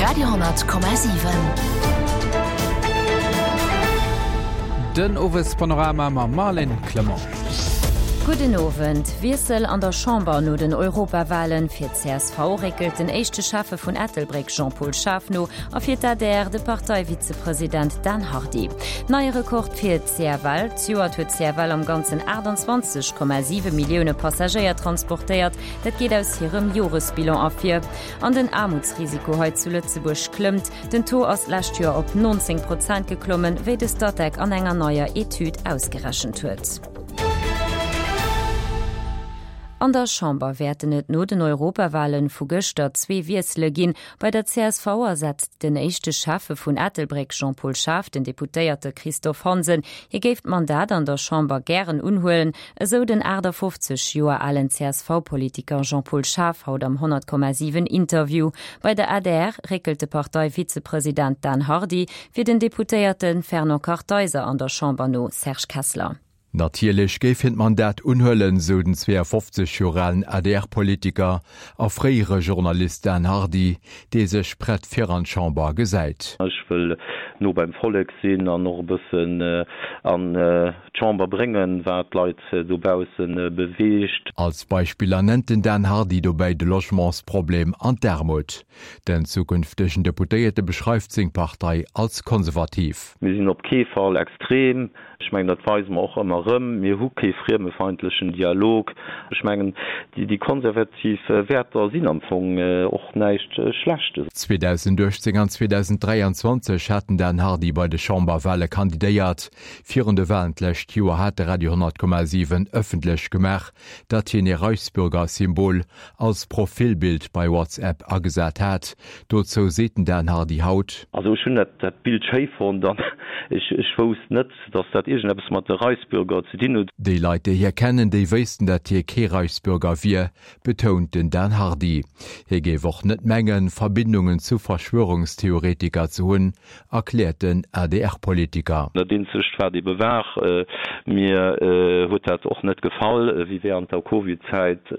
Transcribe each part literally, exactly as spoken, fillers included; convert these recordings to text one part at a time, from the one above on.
Radio honnert Komma siwen. Den Owespanorama mam Marlène Clement. Gudden Owend. Wiessel an der Chamber no den Europawalen, Fir d'CSV réckelt den éischte Schäffe vun Ettelbréck Jean-Paul Schaaf no a fir d'ADR de Parteivizepresident Dan Hardy. Neie Rekord fir d'CFL, Zejoert huet d'CFL am Ganzen aachtanzwanzeg Komma siwe Millioune Passagéier transportéiert, dat geet aus hirem Joresbilan ervir. An den Aarmutsrisiko hei zu Lëtzebuerg klëmmt, den Taux ass d'lescht Joer op nonzéng Prozent geklommen, wéi de Statec an enger neier Etüd ausgerechent huet. An der Chamber wäerten et no den Europawahlen vu gëschter zwee Wiessele ginn. Bei der C S V ersetzt den éischte Schäffe vun Ettelbréck Jean-Paul Schaaf den Deputéierte Christophe Hansen. Hie géif d'Mandat an der Chamber gären unhuelen, esou den aachtafoffzeg Joer alen C S V-Politiker Jean-Paul Schaaf haut am honnert Komma siwen Interview. Bei der A D R réckelt de Partei-Vizepresident Dan Hardy fir den Deputéierte Fernand Kartheiser an der Chamber no. Serge Kessler. Natierlech géif hien d'Mandat unhuelen, sou den zweeafofzeg Joer alen A D R-Politiker a fréiere Journalist Dan Hardy, dee sech prett fir an d'Chamber gesäit. Ech wëll no beim Vollek sinn an och e bëssen an d'Chamber bréngen, wat d'Leit dobausse beweegt. Als Beispiller nennt den Dan Hardy dobäi de Logementsproblem an d'Aarmut. Den zukünftegen Deputéierte beschreift seng Partei als konservativ. Mir sinn op kee Fall extrem. Ech mengen, dat weise mer och ëmmer erëm. Mir hu kee friemefeindlechen Dialog. Ech mengen, déi konservativ Wäerter sinn am Fong och näischt Schlechtes. zweedausenduechtzéng an zweedausenddräianzwanzeg hat den Dan Hardy bei de Chamberwale kandidéiert. Virun de Walen d'lescht Joer hat de Radio honnert Komma siwen ëffentlech gemaach, datt hien ee Reichsbürger-Symbol als Profilbild bei WhatsApp agesat hat. Dozou seet den Dan Hardy haut. Also ech hunn dat Bild schéi fonnt an ech wousst net, datt dat iergendeppes mat de Reichsbürger ze dinn huet. Déi Leit, déi hie kennen, déi wéissten, datt hie kee Reichsbürger wier, betount den Dan Hardy. Hie géif och net mengen, Verbindungen zu Verschwörungstheoretiker ze hunn, erkläert den A D R-Politiker. Dat eenzegt wat ebe war, mir huet dat och net gefall, wéi während der Covid-Zäit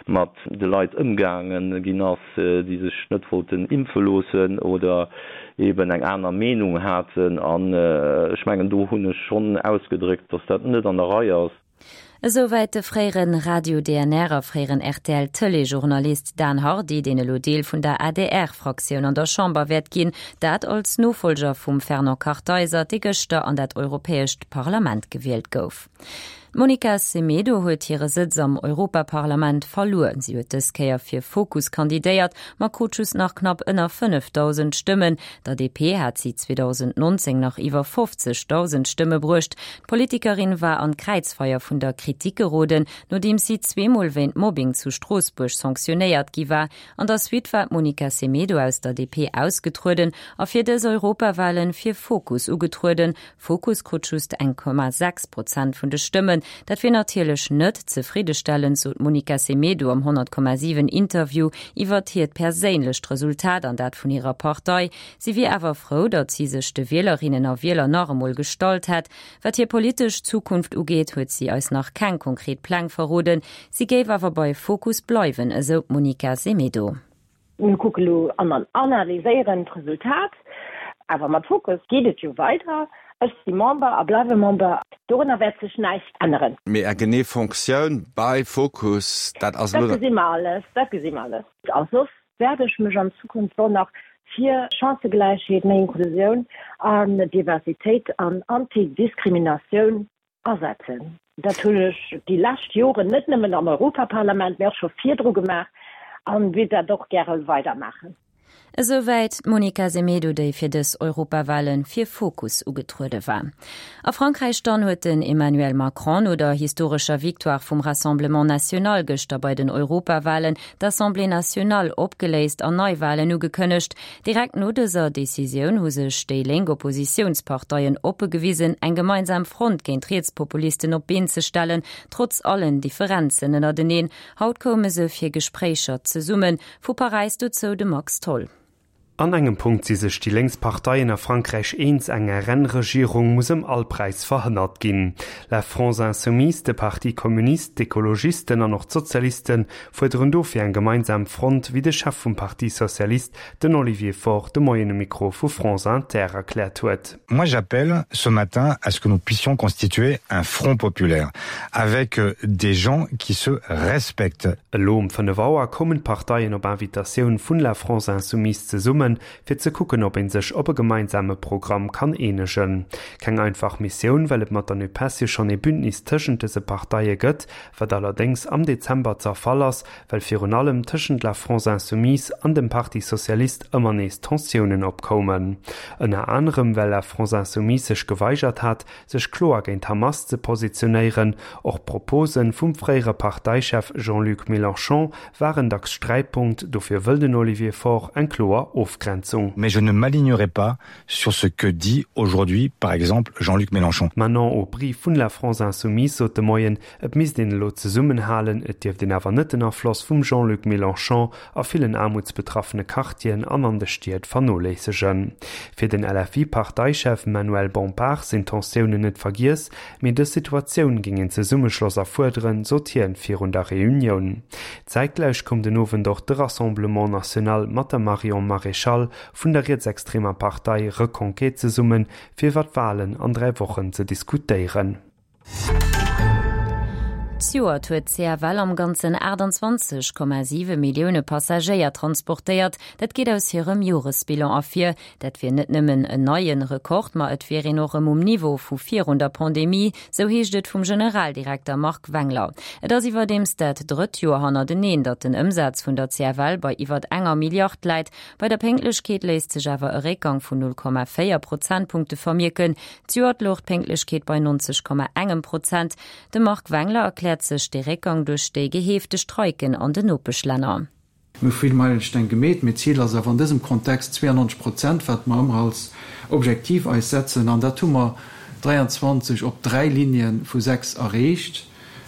mat de Leit ëmgaange ginn ass, déi sech net wollten impfe loossen oder eben eng aner Meenung haten. An ech mengen, do hunn ech schonn ausgedréckt, dass dat net an der Rei ass. Esouwäit de fréieren Radio D N R a fréieren R T L Tëleejournalist Dan Hardy, deen elo Deel vun der A D R-Fraktioun an der Chamber wäert ginn, dat als Nofollger vum Fernand Kartheiser, dee gëschter an dat Europäescht Parlament gewielt gouf. D'Monica Semedo huet hire Sëtz am Europaparlament verluer. Si huet dës Kéier fir Fokus kandidéiert, ma krut just nach knapp ënner fënnefdausend Stëmmen. Der D P hat si zweedausendnonzéng nach iwwer fofzegdausend Stëmme bruecht. D'Politikerin war an d'Kräizfeier vun der Kritik geroden, nodeems si zweemol wéint Mobbing zu Stroossbuerg sanktionéiert gi war. An der Suite war d'Monica Semedo aus der D P ausgetrueden a fir dës Europawalen fir Fokus ugetrueden. Fokus krut just eng Komma sechs Prozent vun de Stëmmen. Dat wier natierlech net zefriddestellend, sot d'Monica Semedo am honnert Komma siwen Interview iwwert hiert perséinlecht Resultat an dat vun hirer Partei. Si wier awer frou, datt si sech de Wielerinnen a Wieler nach emol gestallt hätt. Wat hir politesch Zukunft ugeet, huet si eis nach keng konkret Pläng verroden. Si géif awer bei Fokus bleiwen, esou d'Monica Semedo. Mir kucke lo an analyséieren d'Resultat, awer mat Fokus geet et jo weider. Ech si Member a bleiwe Member, dorunner wäert sech näischt änneren. Mee Är genee Fonctioun bei Fokus, dat ass elo. Dat gesi mer alles, dat gesi mer alles. A soss wäert ech mech an Zukunft och nach fir Chancëgläichheet, méi Inklusioun an Diversitéit an Antidiskriminatioun asetzen. Dat hunn ech déi lescht Joren net nëmmen am Europaparlament, mee och scho virdru gemaach an wéilt dat och gäre weidermaachen. Esouwäit d'Monica Semedo, déi fir dës Europawale fir Fokus ugetruede war. A Frankräich dann huet den Emmanuel Macron no der historescher Victoire vum Rassemblement National gëschter bei den Europawalen d'Assemblée nationale opgeléist an Neiwalen ugekënnegt. Direkt no dëser Decisioun hu sech déi lénk Oppositiounsparteien oppe gewisen, eng gemeinsam Front géint d'Rietspopulisten op d'Been ze stellen, trotz allen Differenzen ënnerteneen. Haut koume se fir Gespréicher zesummen. Vu Paräis dozou de Max Tholl. An engem Punkt si sech déi lénks Parteien a Frankräich eens, Eng R N-Regierung muss ëm all Präis verhënnert ginn. La France Insoumise, de Parti Communiste, d'Ekologisten an och d'Sozialiste fuerderen dofir eng gemeinsam Front, wéi de Chef vum Parti Socialiste, den Olivier Faure, de Moien um Mikro vu France Inter erkläert huet. Moi j'appelle ce matin à ce que nous puissions constituer un front populaire avec des gens qui se respectent. Elo um fënnef Auer kommen d'Parteien op Invitatioun vun La France Insoumise zesummen, fir ze kucken, ob een sech op e gemeinsame Programm kann eenegen. Keng einfach Missioun, well et mat der NUPES jo schonn ee Bündnis tëschent dëse Parteie gëtt, wat allerdéngs am Dezember zerfall ass, well virun allem tëschent La France Insoumise an dem Parti Socialiste ëmmer nees Tensiounen opkoumen. Ënner anerem well La France Insoumise sech geweigert hat, sech kloer géint Hamas ze positionéieren, och Propose vum fréiere Parteichef Jean-Luc Mélenchon waren dacks Sträitpunkt, dofir wëll den Olivier Faure eng kloer Ofgrenzung. Mais je ne m'alignerai pas sur ce que dit aujourd'hui, par exemple, Jean-Luc Mélenchon. D'Manon Aubry vun La France Insoumise sot de Moien, et misst een elo zesummenhalen, et dierft een awer net den Afloss vum Jean-Luc Mélenchon a villen aarmutsbetraffene Quartieren an an de Stied vernoléissegen. Fir den L F I-Parteichef Manuel Bompard sinn d'Tensiounen net vergiess, mee dës Situatioun géing een Zesummeschloss erfuerderen, sot hien virun der Reunioun. Zäitgläich koum den Owend och de Rassemblement National mat der Marion Maréchal vun der rietsextremer Partei Reconquête zesummen, fir iwwer d'Walen an dräi Wochen ze diskutéieren. Zejoert huet d'C F L am Ganzen aachtanzwanzeg Komma siwe Millioune Passagéier transportéiert. Dat geet aus hirem Joresbilan ervir. Dat wier net nëmmen en neie Rekord, ma et wier een och erëm um Niveau vu virun der Pandemie, sou heescht et vum Generaldirekter Marc Wengler. Et ass iwwerdeems dat drëtt Joer hannerteneen, datt den Ëmsaz vun der C F L bei iwwer enger Milliard läit. Bei der Pénktlechkeet léisst sech awer e Réckgang vun null Komma véier Prozentpunkte vermierken. Zejoert louch d'Pénktlechkeet bei nonzeg Komma engem Prozent. De Marc Wengler erkläert sech de Réckgang duerch déi geheefte Streiken an den Nopeschlänner. Mir hu vill Meilesteng gemeet, mee d'Zil ass awer an dësem Kontext zweeannonzeg Prozent, wat mer ëmmer als Objektiv eis setzen, an dat hu mer dräianzwanzeg op dräi Linien vu sechs erreecht,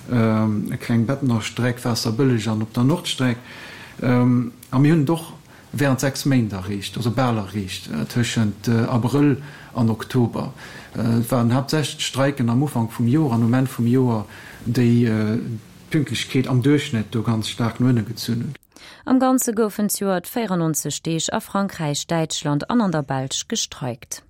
e kleng Bettener Streck, Waasserbëlleg an op der Nordstreck. A mir hunn et och während sechs Méint erreecht, also bal erreecht, tëschent Abrëll an Oktober. Et waren haaptsächlech d'Streiken am Ufank vum Joer an um Enn vum Joer, déi d'Pünktlechkeet am Duerchschnëtt do ganz staark no ënne gezunn hunn. Am Ganze goufen zejoert véierannonzeg Deeg a Frankräich, Däitschland an an der Belsch gestreikt.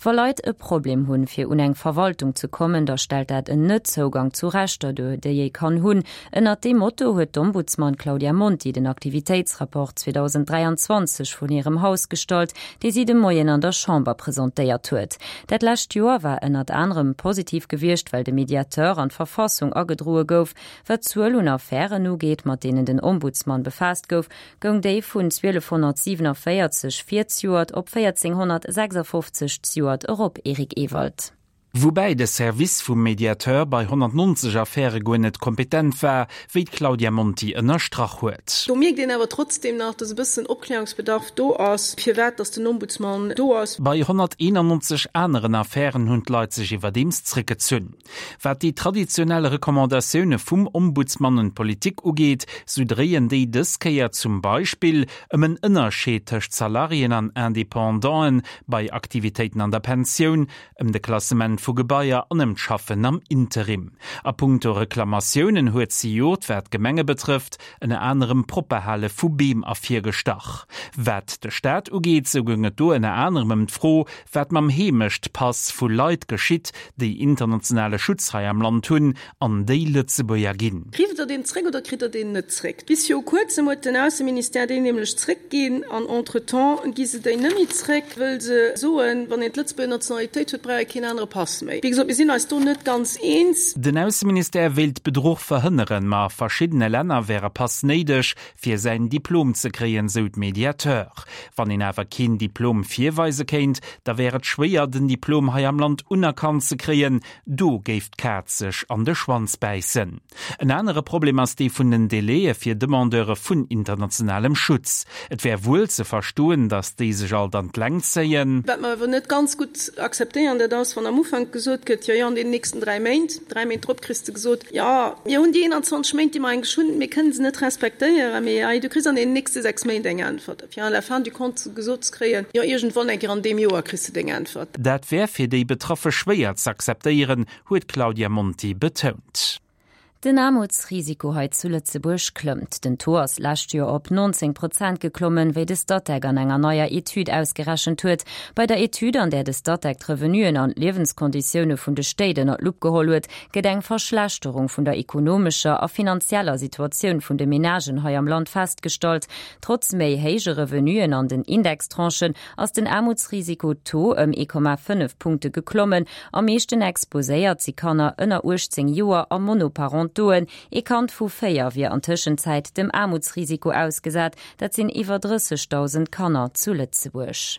Wa Leit e Problem hunn, fir un eng Verwaltung ze kommen, da stellt dat en Net-Zougang zu Rechter duer, déi ee kann hunn. Ënner deem Motto huet d'Ombudsman Claudia Monti den Aktivitéitsrapport zweedausend dräianzwanzeg vun hirem Haus gestallt, dee si de Moien an der Chamber presentéiert huet. Dat lescht Joer war ënnert anerem positiv gewiescht, well de Mediateur an d'Verfassung agedroe gouf, wat d'Zuel un Affären ugeet, mat deenen den Ombudsman befaasst gouf, goung déi vun zwielefhonnertsiewenevéierzeg virzejoert op véierzénghonnertsechsafofzeg zejoert erop. Eric Ewald. Woubäi de Service vum Mediateur bei honnertnonzeg Affäre guer net kompetent war, wéi d'Claudia Monti ënnerstrach huet. Do mierkt een awer trotzdem nach, dass e bëssen Opklärungsbedarf do ass, firwat dass den Ombudsman do ass. Bei honnerteenannonzeg aneren Affären hunn d'Leit sech iwwerdeems zréckgezunn. Wat déi traditionell Recommandatioune vum Ombudsman un d'Politik ugeet, sou dréien déi dës Kéier zum Beispill ëm en Ënnerscheed tëscht Salariéen an Independanten bei Aktivitéiten an der Pensioun, ëm de Klassement vu Gebaier an ëm d'Schaffen am Interim. A punkto Reklamatiounen huet zejoert, wat d'Gemenge betrëfft, ënner anerem d'Propperhale vu Beem ervirgestach. Wat de Staat ugeet, sou goung et do ënner anerem ëm d'Fro, wat mam Heemechtpass vu Leit geschitt, déi internationale Schutz hei am Land hunn an déi Lëtzebuerger ginn. Kritt der deen zréck oder kritt der deen net zréck? Bis viru kuerzem huet den Ausseministère deen nämlech zréckginn an entretemps gi se déi net méi zréck, wëll se soen, wann een d'Lëtzebuerger Nationalitéit huet, brauch ee keen anere Pass méi. Wéi gesot, mir sinn eis do net ganz eens. Den Ausseministère wéilt Bedruch verhënneren, ma a verschiddene Länner wär e Pass néideg, fir säin Diplom ze kréien, sou de Mediateur. Wann een awer keen Diplom virweise kéint, da wär et schwéier, den Diplom hei am Land unerkannt ze kréien, do géif d'Kaz sech an de Schwanz bäissen. En anere Problem ass dee vun den Delaie fir Demandeure vun internationalem Schutz. Et wär wuel ze verstoen, datt déi sech alt an d'Längt zéien. Wat mer awer net ganz gutt akzeptéieren, dat ass, wann am Ufank Ufank gesot gëtt, jo, jo, an deenen nächsten dräi Méint, dräi Méint drop kriss de gesot, jo, mir hunn déi eenanzwanzeg Méint, déi mer eigentlech hunn, mir kënnen se net respektéieren, mee hei, du kriss an deenen nächste sechs Méint eng Äntwert. Fir à la fin du compte gesot ze kréien, jo, iergendwann eng Kéier an deem Joer kriss de deng Äntwert. Dat wär fir déi Betraffe schwéier z'akzeptéieren, huet d'Claudia Monti betount. Den Aarmutsrisiko hei zu Lëtzebuerg klëmmt. Den Taux ass lescht Joer op neunzéng Prozent geklommen, wéi de Statec an enger neier Etüd ausgerechent huet. Bei der Etüd, an där de Statec d'Revenuen an d'Liewenskonditioune vun de Stéit ënner d'Lupp geholl huet, gëtt eng Verschlechterung vun der ekonomescher a finanzieller Situatioun vun de Menagen hei am Land festgestallt. Trotz méi héije Revenuen an den Indextranchen ass den Aarmutsrisiko-Taux ëm ee Komma fënnef Punkte geklommen. Am meeschten exposéiert si Kanner ënner uechtzéng Joer a Monoparentoen. Ee Kand vu véier wier an Tëschenzäit dem Aarmutsrisiko ausgesat, dat sinn iwwer drëssegdausend Kanner zu Lëtzebuerg.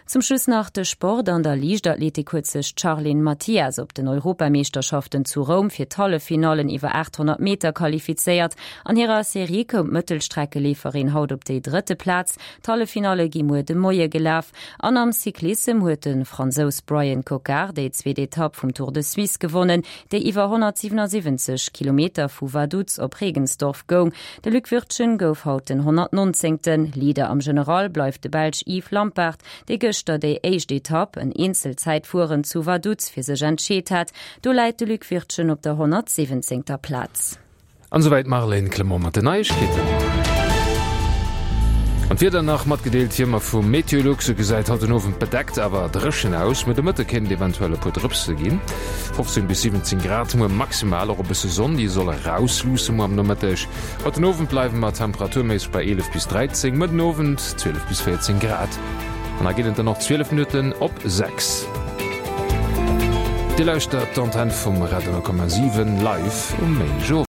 Zum Schluss nach de Sport, An der Liichtathletik huet sech d'Charline Mathias op den Europameeschterschaften zu Roum fir d'Halleffinallen iwwer achthonnert Meter qualifizéiert. An hirer Serie koum d'Mëttelstreckeleeferin haut op déi drëtte Plaz. D'Halleffinalle gi muer de Moie gelaf. An am Cyclissem huet de Fransous Bryan Coquard déi zweet Etapp vum Tour de Suisse gewonnen, déi iwwer honnertsiwwenundsiwwenzeg Kilometer vu Vaduz op Regensdorf goung. De Luc Wirtgen gouf haut den honnertnonzéngten. Leader am General bleift de Belsch Yves Lampaert, dee gëschter déi éischt Etapp, en Eenzelzäitfueren zu Vaduz, fir sech entscheet hat. Do läit de Luc Wirtgen op der honnertsiwwenzéngter Plaz. An esouwäit d'Marlène Clement mat den Neiegkeeten. An d'Wieder nach matgedeelt wéi ëmmer vu Meteolux. Et gesäit haut den Owend bedeckt awer dréchen aus. Muer de Mëtte kéint et eventuell e puer Drëpse ginn. fofzéng bis siwwenzéng Grad muer maximal, och e bësse Sonn, déi soll erausluusse muer am Nomëtteg. Haut den Owend bleiwe mer temperaturméisseg bei eelef bis dräizéng, muer den Owend zwielef bis véierzéng Grad. An da ginn et dann och zwielef Minutten op sechs. Dir lauschtert d'Antenn vum Radio null Komma siwen live um Méindegowend.